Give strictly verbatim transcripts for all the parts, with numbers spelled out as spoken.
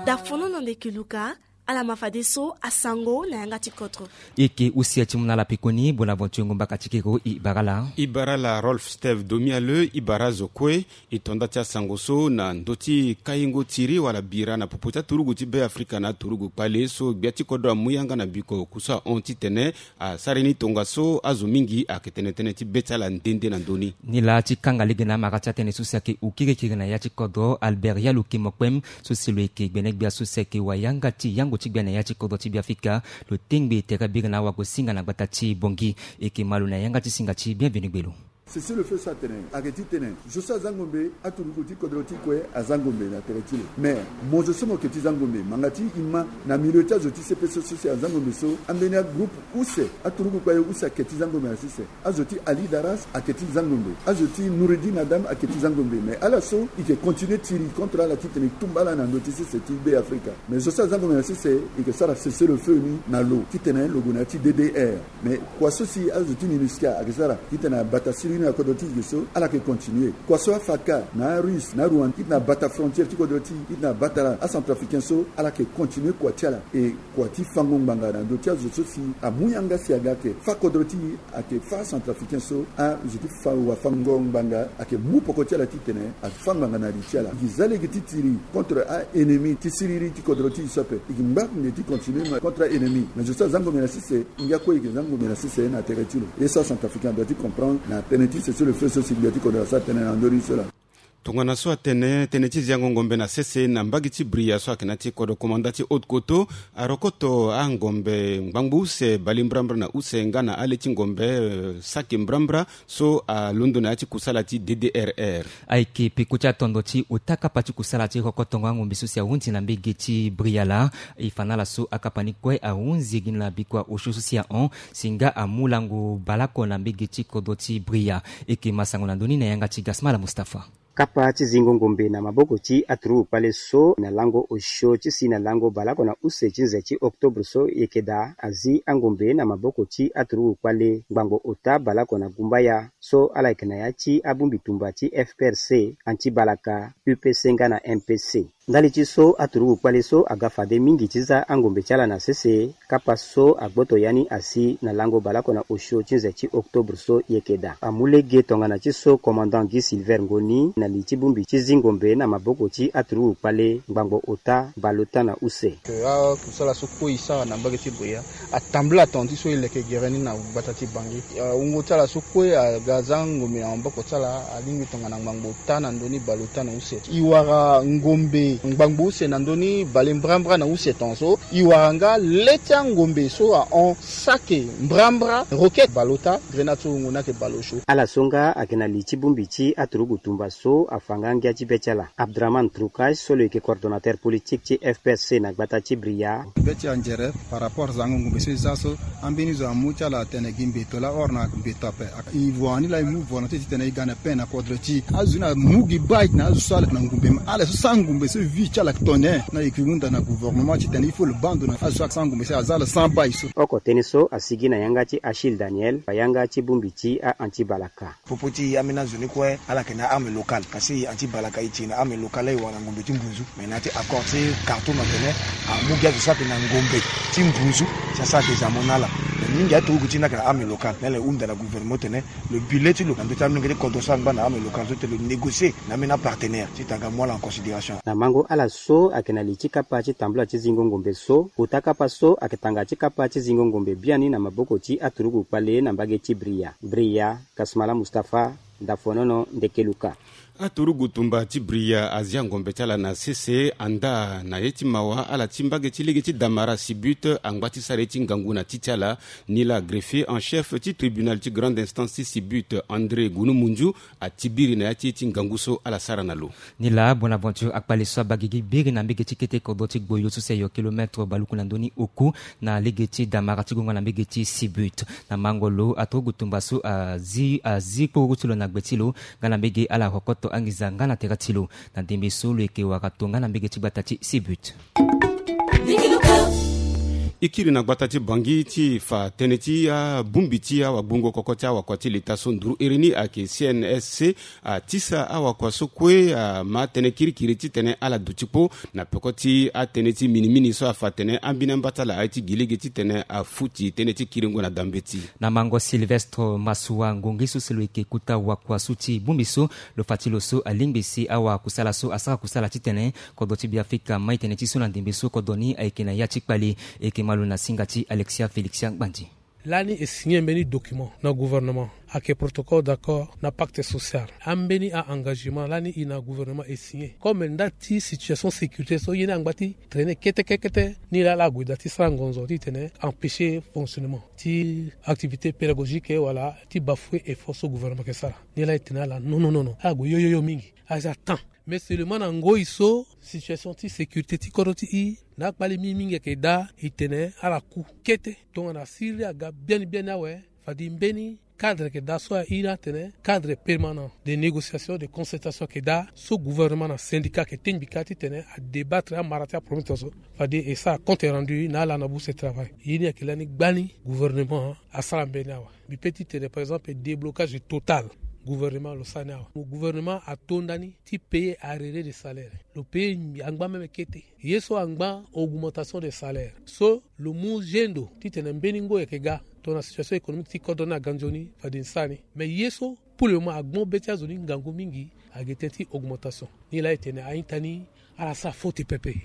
Dafono na ndeke luka. Ala ma fadeso asango na yanga ti kodro. Eke use ya ti mu na ala pekoni. Bonaventure Ngomba Katikero, i bara ala. I bara ala Rolf Steve Domiale, i bara azo kue. I tonda ti asango so na ndö ti kaingo tiri wala bira na popo ti aturugu ti Be Afrika na aturugu kpale so gbia ti kodro amu yanga na biko kusa hon titene asara ni tongaso azo mingi ayeke tene tënë ti be ti ala nde nde na ndö ni. Ni laa ti kanga lege na amara ti atënë so si ayeke hukirikiri na ya ti kodro, Albert Yaluki Mokpem, so si lo yeke gbene gbia so si ayeke wayanga ti yango ti gbia na ya ti kodro ti Be Afrika, lo tengbe tere biri na awagosinga na gbata ti Bongi. E yeke ma lo na yanga ti singa ti Bienvenu Gbelo. Cessez-le-feu so atene ayeke titene zo so aza ngombe, aturugu ti kodro ti kue aza ngombe na tere ti lo. Mais mo zo so mo yeke ti za ngombe, manga ti i ma na milieu ti azo ti C P C so si aza ngombe so, ambeni agroupe use, aturugu kpale use ayeke ti za ngombe na sese. Azo ti Ali Daras ayeke ti za ngombe. Azo ti Noureddin Adam ayeke ti za ngombe. Mais ala so i yeke continuer tiri contre ala titene i tumba ala na ndö ti sese ti Be Afrika. Mais zo so aza ngombe na sese, i yeke sara cessez-le-feu ni na lo titene lo gue na ya ti D D R. Mais kua so si azo ti MINUSCA ayeke sara titene abata siriri na kodro ti e ge so, ala yeke continuer. Kua so aFATCA na aRusse na aRwanda titene abata frontière ti kodro ti e, titene abata aCentrafricain so, ala yeke continuer kua ti ala. E kua ti fango ngbanga na ndö ti azo so si amu yanga si aga ayeke fâ kodro ti e, ayeke fâ aCentrafricain so, azo ti fa wafango ngbanga ayeke mu poko ti ala titene afâ ngbanga na li ti ala. E gi za lege ti tiri contre a-ennemi ti siriri ti kodro ti e so ape. E gi ngba nde ti continuer contre a-ennemi. Mais zo so aza ngombe na sese, ngia kue e yeke za ngombe na sese na tere ti lo. Ye so aCentrafricain adoit ti comprendre na tënë ti cessez-le-feu so si gbia ti kodro asara tënë na ndö ni so laa. Tongana so atene tënë ti ziango ngombe na sese na mbage ti Bria so ayeke na ya ti kodro komanda ti Haute-Koto, arokoto angombe ngbangbo use bale mbrambra na use nga na ale ti ngombe, eh, saki mbrambra so alondo na ya ti kusala ti D D R R. Ayeke peko ti atondo ti ota kapa ti kusala ti rokotongo angombe so si ahunzi na mbage ti Bria laa. E fa na ala so akapa ni kue ahunzi gi na bikua osio so si ahon si nga amu lango baleoko na mbage ti kodro ti Bria. E yeke ma sango na ndö ni na yanga ti Gasmala Mustapha. Kapa ti zingo ngombe na maboko ti aturugu kpale so na lango osio ti si na lango baleoko na use ti nze ti octobre so e yeke daa azi angombe na maboko ti aturugu kpale ngbangbo ota baleoko na gumbaya so ala yeke na ya ti abongbi tumba ti F P R C, anti balaka, U P C nga na M P C. Ndali ti so aturugu kpale so aga fade mingi ti za angombe ti ala na sese, kapa so agboto ya ni asi na lango baleoko na osio ti nze ti octobre so e yeke daa. Amu lege tongana ti so commandant Guy Silver Ngoni na li ti bongbi ti zi ngombe na maboko ti aturugu kpale ngbangbo ota baleota na use. Akusala so kue e sara na mbage ti Bria atambula tonga ti so e leke gere ni na gbata ti Bangui. Wungo ti ala so kue aga za ngombe na maboko ti ala alingbi tongana ngbangbo ota na ndö ni baleota na use. E wara ngombe ngbangbo use na ndö ni bale mbrambra na use tongaso. E wara nga le ti angombe so ahon saki mbrambra, roquette baleota, grenade so wungo ni ayeke baleosio. Ala so nga ayeke na li ti bongbi ti aturugu tumba so afa nga ngia ti be ti ala. Abdraman Trucage so lo yeke coordonnateur politique ti F P R C na gbata ti Bria. Be ti anzere par rapport zango ngombe so e za so, ambeni zo amu ti ala atene gi mbeto laa or na mbeto ape. E voa ni laa e mu volonté titene e ga na paix na kodro ti e. Azo ni amu gi bai na azo so ala na ngombe, ma ala so sara ngombe so vie ti ala ayeke tene. Na e yeke hunda na gouvernement titene il faut lo baa ndo na azo so asara ngombe so aza ala sans bai so. Oko tënë so asigi na yanga ti Achille Daniel, ayanga ti bongbi ti a-anti balaka. Popo ti e ambeni azo ni kue ala yeke na arme locale. Kasi anti balaka e ti na arme locale laa e wara na ngombe ti mbunzu. Me na ya ti accord ti Khartoum atene amu gi azo so ayeke na ngombe ti mbunzu si asara kezamo na ala. Me mingi aturugu ti ni ayeke na arme locale. Na ala e hunda na gouvernement tene lo bi le ti lo na ndö ti amolenge ti kodro so angba na arme locale so tene lo négocier na ambeni apartenaire titene aga mu ala en considération. Na mango ala so ayeke na li ti kapa ti tambula ti zingo ngombe so, kota kapa so ayeke tanga ti kapa ti zingo ngombe biani na maboko ti aturugu kpale na mbage ti Bria. Bria, Kasmala Mustapha, Dafonono, Ndekeluka. Aturugu tumba ti Bria azia ngombe ti ala na sese, anda na ye ti mawa ala ti mbage ti lege ti Damara Sibut angba ti sara ye ti ngangu na ti ti ala. Ni laa greffier en chef ti tribunal ti grande instance ti Sibut, André Gunumunzu, atibiri na ya ti ye ti ngangu so ala sara na lo. Ni laa Bonaventure akpale so abaa gigi biri na mbege ti kete kodro ti Gboyo so si ayo kilomètre baluku na ndö ni oku na lege ti Damara ti gongo na mbege ti Sibut. Na mango lo aturugu tumba so azi, azi kporoku ti lo na gbe ti lo nga na mbege ala rokoto anginza nga na tere ti lo. Na ndembe so lo yeke wara to nga na mbege ti gbata ti Sibut. E kiri na gbata ti Bangui ti fa tënë ti abongbi ti awagbongo koko ti awakua ti leta so nduru iri ni ayeke C N S C. Atisa awakua so kue ama tënë kirikiri titene ala duti kpo na peko ti atënë ti minimini so afa atene ambeni amba ti ala aye ti gi lege titene afuti tënë ti kiringo na dambeti. Na mango Sylvestre Massoua, ngongi so si lo yeke kota wakua so ti bongbi so, lo fa ti lo so alingbi si awakusala so asara kusala titene kodro ti Beafrika amai tënë ti so na ndembe so kodro ni ayeke na ya ti kpale. E yeke ma lo na singa ti Alexia Félixia Gbandi. Lani e signé mbeni document na gouvernement, ayeke protocole d'accord na pacte social. Ambeni a-engagement lani e na gouvernement e signé. Comme nda ti situation sécurité so ye ni angba ti traîner kete kete kete, ni laa ala gue daa ti sara ngonzo titene empêcher fonctionnement ti activité pédagogique wala ti bafouer effort so gouvernement ayeke sara. Ni laa e tene ala non non non non, ala gue yoyoyo mingi. Aza temps. Mais seulement na ngoi so situation ti sécurité ti kodro ti e na akpale mingi mingi ayeke daa, e tene ala ku kete tongana asiri aga biani biani awe. Fade mbeni cadre ayeke daa so airi atene cadre permanent de négociation, de concertation ayeke daa so gouvernement na syndicat ayeke tengbi kâ titene adébattre amara ti aproblème so. Fade e sara compte rendu na ala na bourse travail. Ye ni ayeke lani gbani gouvernement asara mbeni awe. Mbi pe titene par exemple déblocage total gouvernement lo sara ni awe. Gouvernement ato ndani ti payer arrerer de salaire. Lo payer angba même kete. Ye so angba augmentation de salaire so lo mu zendo titene mbeni ngoi ayeke ga tongana situation économique ti kodro ni aga nzoni fade ni sara ni. Mais ye so pour le moment agbo be ti azo ni ngangu mingi, ayeke tënë ti augmentation. Ni laa e tene a-ita ni ala sara faute pepe.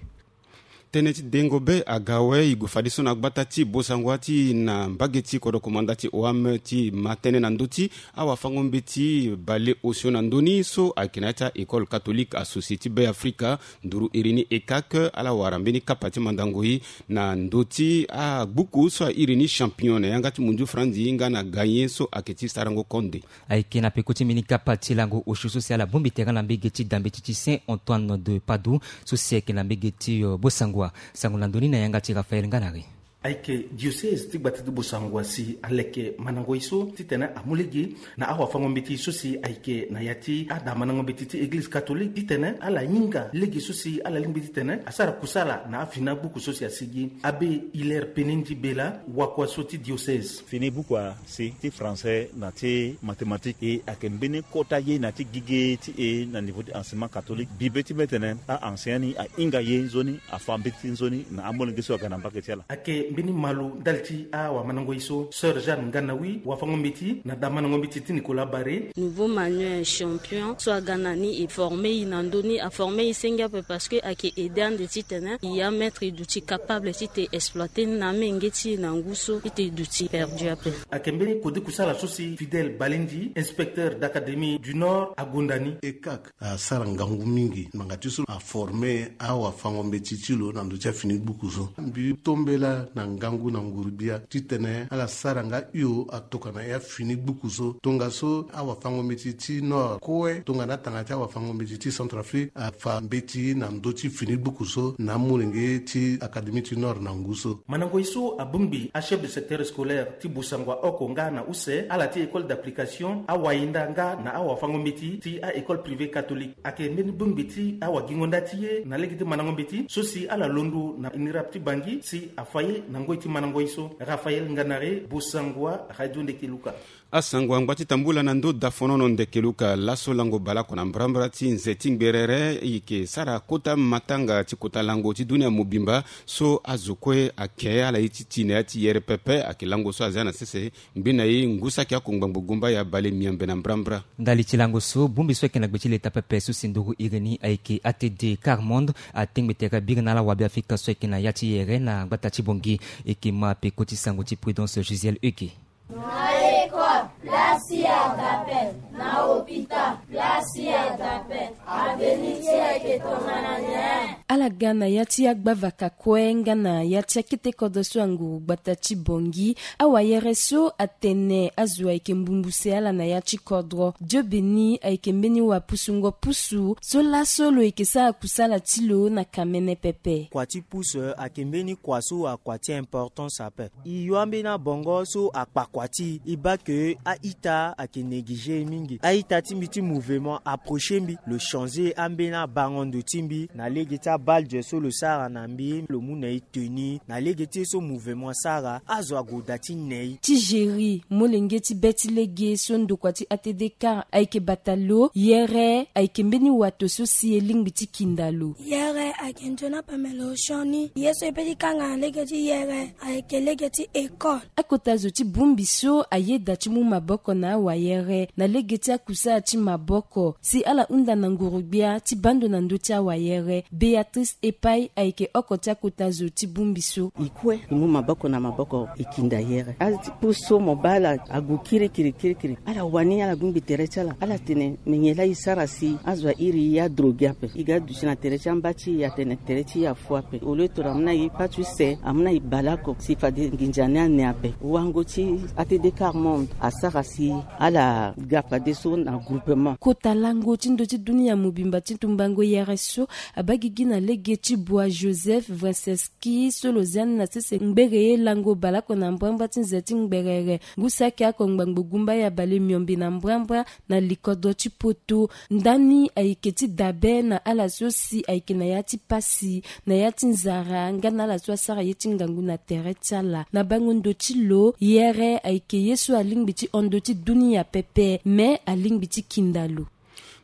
Tënë ti dengo be aga awe. E gue fadeso na gbata ti Bossangoa ti na mbage ti kodro komanda ti O A M ti ma tënë na ndö ti awafango-mbeti bale osio na ndö ni so ayeke na ya ti a-école catholique associée ti Beafrika nduru iri ni E C A C. Ala wara mbeni kapa ti mandango e na ndö ti agbuku so airi ni Champignon na yanga ti munzu franzi nga na gagné so ayeke ti sarango konde. Ayeke na peko ti mbeni kapa ti lango osio so si ala bongbi tere na mbage ti dambeti ti Saint Antoine de Padoue so si ayeke na mbage ti, euh, Bossangoa. Sango na ndö ni na yanga ti Raphaël Nganari. Ayeke diocèse ti gbata ti Bossangoa si aleke mandango e so titene amu lege na awafango-mbeti so si ayeke na ya ti ada mandango-mbeti ti église catholique titene ala hinga lege so si ala lingbi titene asara kusala na afini agbuku so si asigi. Abbé Hilaire Penendi Bela, wakua so ti diocèse. Fini buku asi ti français na ti mathématique e ayeke mbeni kota ye na ti gigi ti e na niveau ti enseignement catholique. Bi be ti mbetene a-enseignant ni ahinga ye nzoni, afa mbeti nzoni na amolenge so aga na mbage ti ala. Ayeke mbeni malo ndali ti awamandango e so, sœur Jeanne Nganawi, wafango-mbeti na damandango-mbeti ti Nicolas Barré. Nouveau manuel Champignon so aga na ni e former e na ndö ni, aformer e senge ape parce que ayeke aider ande titene e amettre e duti capable ti te exploiter ni na amenge ti e na ngu so ti te e duti perdu ape. Ayeke mbeni kode kusala so si Fidèle Balendi, inspecteur d'académie du Nord, agonda ni. E C A C asara ngangu mingi ngbanga ti so aformer awafango-mbeti ti lo na ndö ti afini gbuku so. Mbi tombela na ngangu na nguru-gbia titene ala sara nga hio atokua na ya fini gbuku so. Tongaso awafango-mbeti ti Nord kue tongana atanga ti awafango-mbeti ti Centrafrique afa mbeti na ndö ti fini gbuku so na amolenge ti Académie ti Nord na ngu so. Mandango e so abongbi achef de secteur scolaire ti Bossangoa oko nga na use, ala ti école d'application, awayinda nga na awafango-mbeti ti a-école privée catholique. Ayeke mbeni bongbi ti awagingo nda ti ye na lege ti mandango-mbeti so si ala londo na INRAP ti Bangui si afa ye na ngoi ti mandango e so. Raphaël Nganari, Bossangoa, Radio Ndeke Luka. Asango angba ti tambula na ndö dafonono ndeke luka. Laso lango baleoko na mbrambra ti nze ti ngberere e yeke sara kota matanga ti kota lango ti dunia mobimba so azo kue ayeke ala ye ti ti na ya ti yere pepe. Ayeke lango so azia na sese ngbi na e ngu saki oko ngbangbo gumbaya bale miambe na mbrambra. Ndali ti lango so bongbi so ayeke na gbe ti leta pepe so si nduru iri ni ayeke A T D Quart Monde atengbe tere biri na ala wabe Afrika so ayeke na ya ti yere na gbata ti Bangui. E yeke ma peko ti sango ti Prudence Gisèle Eke. Na école, place ti a d'appel. Na hôpital, place ti a d'appel. Avenir ti e ayeke tongana nyen? Ala ga na ya ti agbavaka kue nga na ya ti akete kodro so anguru gbata ti Bangui. Awayere so atene azo ayeke mbumbuse ala na ya ti kodro. Dio Beni ayeke mbeni wapusungo pusu so laso lo yeke sara kusala ti lo na kamene pepe. Kua ti pusu ayeke mbeni kua so akua ti importance ape. E yua mbeni abongo so akpa kua ti e, e baa ke a-ita ayeke négliger e mingi. A-ita ti mbi ti mouvement approcher mbi, lo changer ambeni abango ndo ti mbi na lege ti Badge so lo sara na mbi lo mu na e tenue na lege ti ye so mouvement asara azo agoda ti nei. Ti géri molenge ti be ti lege so ndokua ti A T D car ayeke bata lo, yere ayeke mbeni wato so si e lingbi ti kinda lo. Yere ayeke nzoni apamelo sioni. Ye so e pe ti kanga na lege ti yere ayeke lege ti école. Akota zo ti bongbi so ayeda ti mu maboko na awayere na lege ti akusala ti maboko si ala hunda na nguru-gbia ti baa ndo na ndö ti awayere. Béatrice Epai ayeke oko ti akota zo ti bongbi so. E kue e mu maboko na maboko e kinda yere. Ala ti puse so mo baa ala agu kirikiri kirikiri. Ala wani ala gungbi tere ti ala. Ala tene me nyen laa e sara si azo airi e adrogué ape. E ga duti na tere ti amba ti e atene tere ti e afu ape. Au lieu toro amu na e pâte use, amu na e bale oko si fade nginza ni ane ape. Wango ti A T D car monde asara si ala ga fadeso na groupement. Kota lango ti ndö ti dunia mobimba ti tumbango yere so abaa gigi na lege ti Bois Joseph Wresinski so lo zia ni na sese ngbere ye lango baleoko na mbrambra ti nze ti ngberere. Ngu saki oko ngbangbo gumba ya bale miombe na mbrambra na likodro ti poto. Ndani ayeke ti dabe na ala so si ayeke na ya ti pasi, na ya ti nzara nga na ala so asara ye ti ngangu na tere ti ala. Na bango ndo ti lo, yere ayeke ye so alingbi ti hon ndö ti dunia pepe, me alingbi ti kinda lo.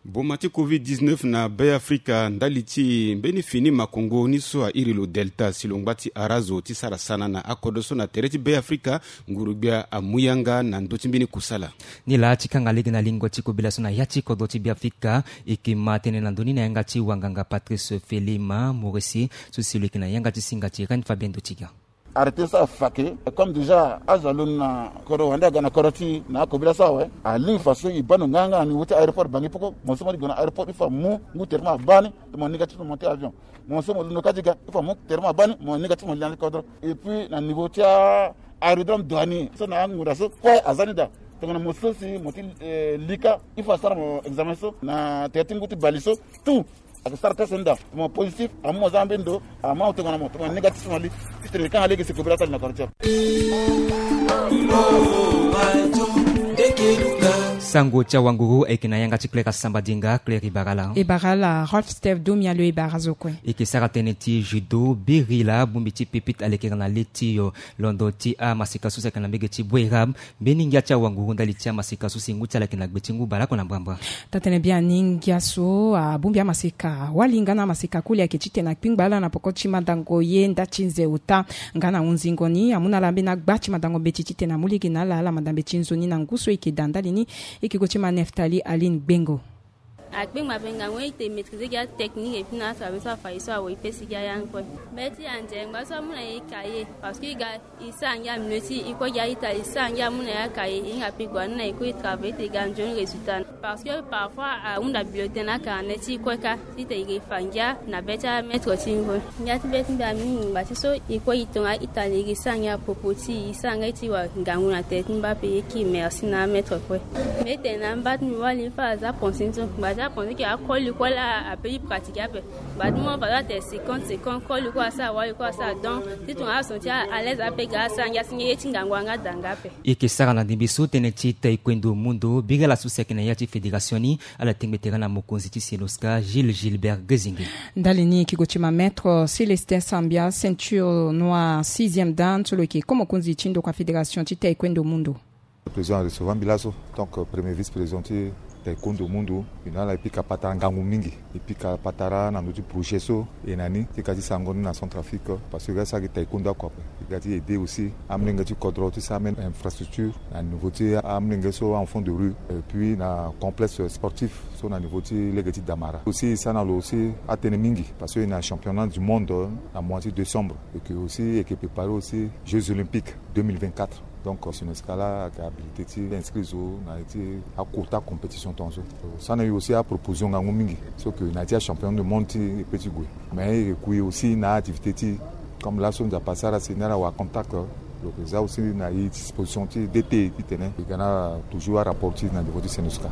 Boma ti covid dix-neuf na Be Afrika ndali ti mbeni fini makongo ni so airi lo Delta si lo ngba ti ara zo ti sara sana na akodro so na tere ti Be Afrika, nguru-gbia amu yanga na ndö ti mbeni kusala. Ni laa ti kanga lege na lingo ti kobela so na ya ti kodro ti Be Afrika, e yeke ma tënë na ndö ni na yanga ti wanganga Patrice Felima Moresi so si lo yeke na yanga ti singa ti Reine Fabien Dotiga. Arrêté so afa ke, comme déjà azo alondo na kodro wande aga na kodro ti e na akobela so awe. Alingbi fa so e baa ndo nganga na niveau ti aéroport Bangui poko. Mo so mo li gue na aéroport il faut amu ngu tere ti mo abaa ni, mo négatif mo monté avion. Mo so mo londo kâ ti ga il faut amu tere ti mo abaa ni, mo négatif mo li na kodro. Et puis na niveau ti a aérodrome douanier so na angunda so kue aza ni daa. Tongana mo so si mo ti eh, li kâ il faut asara mo examen so na tere ti ngu ti bale so. Tout ayeke sara test ni daa. Mo positif amu mo za na mbeni ndo, amu amu tongana mo, tongana négatif mo li. Ti tene kanga lege si kobela sali na kodro ti ape. Sango ti awanguru ayeke na yanga ti Claire Asamba Dinga. Claire, e bara ala? E bara ala Rolf Steve Domi. Alo, e bara zo kue. E yeke sara tënë ti judo, biri laa bongbi ti pipite alekere na le ti yo londo ti amaseka so si ayeke na mbege ti Bouérab. Mbeni ngia ti awanguru ndali ti amaseka so si ngu ti ala ayeke na gbe ti ngu baleoko na mbrambra. Taa-tënë biani ngia so abongbi amaseka wali nga na amaseka koli ayeke titene akpingba ala na poko ti mandango ye nda ti nze ota nga na hunzingo ni. Amu na ala ambeni agba ti mandango mbeti titene amu lege na ala, ala manda mbeti nzoni na ngu so e yeke daa ndali ni. E yeke gue ti ma Neftali Aline Gbengo. Akpengba ape ngangu e te maîtriser gi atechnique et puis na atravail so afa e so awe e pesi gi ayange kue. Mbeti anze ngba so amu na e cahier parce que e ga e sara ngia milieu ti e kue gi a-ita e sara ngia amu na e acahier e hinga pe gue ande na e kue e travail ti e ga nzoni résultat. Parce que parfois ahunda bulletin na carnet ti e kue kâ titene e fa ngia na be ti amaître ti e kue. Ngia ti be ti mbi amingi ngba ti so e kue e tonga a-ita na e gi e sara ngia propos ti e e sara ngia ti wa ngangu na tere ti mbi ape. E ye ki merci na amaître kue. Mbi tene na mba ti mbi wali fa aza pensé ni so ngba ti apensé ke akoli kue laa ape e pratiquer ape. Ngba ti mbi fa aza atene cinquante cinquante koli kue asara wali kue asara donc ti tongana ason ti a à l'aise ape ga asara ngia si ngia ye ti ngangu anga daa nga ape. E yeke sara na ndembe so tënë ti taekwondo mundo biri ala so si ayeke na ya ti fédération ni. Ala tengbe tere na mokonzi ti Senoska Gilles Gilbert Gezingi. Ndali ni e yeke gue ti ma maître Célestin Sambia, ceinture noire sixième dan so lo yeke ko mokonzi ti ndokua fédération ti taekwondo mundo. Président arecevoir mbi laso, donc premier vice-président ti taekwondo mundo. E na ala e pika patara ngangu mingi. E pika patara na ndö ti projet so e na ni ti ka ti sango ni na Centrafrique parce que e ga ti sara gi taekwondo oko ape. E ga ti aider aussi amolenge ti kodro ti sara même infrastructure na niveau ti amolenge so en fond de rue et puis na complexe sportif so na niveau ti lege ti Damara. Aussi e sara na lo aussi atënë mingi parce que e na championnat du monde na mois ti décembre et que aussi e yeke préparer aussi Jeux olympiques deux mille vingt-quatre. Donc Senoska laa ayeke habilité ti inscrit zo na ya ti akota compétition tongaso. So na e aussi aproposer ngangu mingi so que na ya ti achampion du monde ti e pe ti gue. Mais e kui aussi na activité ti e comme laso Nzapa asara si ni ala wara contact. Donc e za aussi na e disposition ti D T titene e ga na toujours arapport ti e na niveau ti Senoska.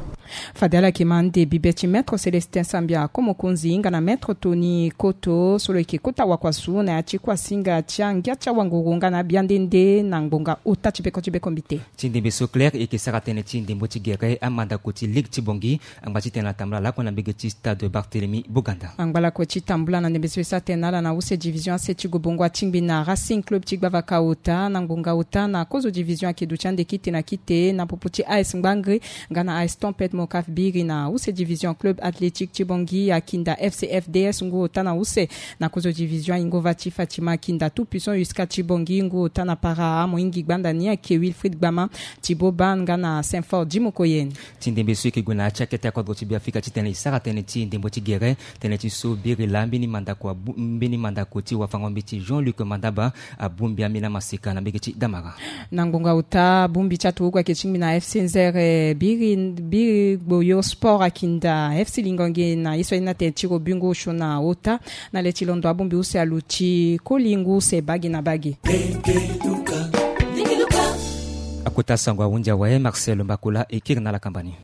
Fade ala yeke ma ande bibe ti maître Célestin Sambia Komokonzi nga na maître Tony Koto so lo yeke kota wakuasu na ya ti kuasinga ti angia ti awanguru nga na abia nde nde na ngbonga ota ti beko ti beko mbite. Ti ndembe so Claire e yeke sara tënë ti ndembo ti gere amandako ti ligue ti Bangui angba ti tene atambula lakue na mbege ti stade Barthélemy Boganda. Angba lakue ti tambula na ndembe so e sara tene na ala na use division ase ti Gobongo atingbi na Racing Club ti gbavaka ota na ngbonga ota na kozo division ayeke duti ande kite na kite na popo ti A S Ngbangre nga na A S Tempête Mocaf Biri na use division Club Athlétique ti Bangui Akinda F C F D S ngu ota na use na kozo division Ingova ti Fatima Akinda Tout Puissant Uska ti Bangui ngu ota na para Amoingi Gbanda ni ayeke Wilfried Gbama ti Boban nga na Saint-Fort Dimokoyen. Ti ndembe so e yeke gue na ya ti akete akodro ti Beafrika titene e sara tënë ti ndembo ti gere tënë ti so biri laa mbeni mandako abu- mbeni mandako ti wafango-mbeti Jean-Luc Mandaba abongbi ambeni amaseka na mbege ti Damara. Na ngbonga ota bongbi ti aturugu ayeke tingbi na F C Nzere biri biri gboyo Sport Akinda F C Lingonge na ye so aye ni atene tiro bingo osio na ota na le ti londo abongbi use aluti koli ngu use bagi na bagi. Akota sango ahunzi awe Marcel Mbakola e kiri na ala kamba ni.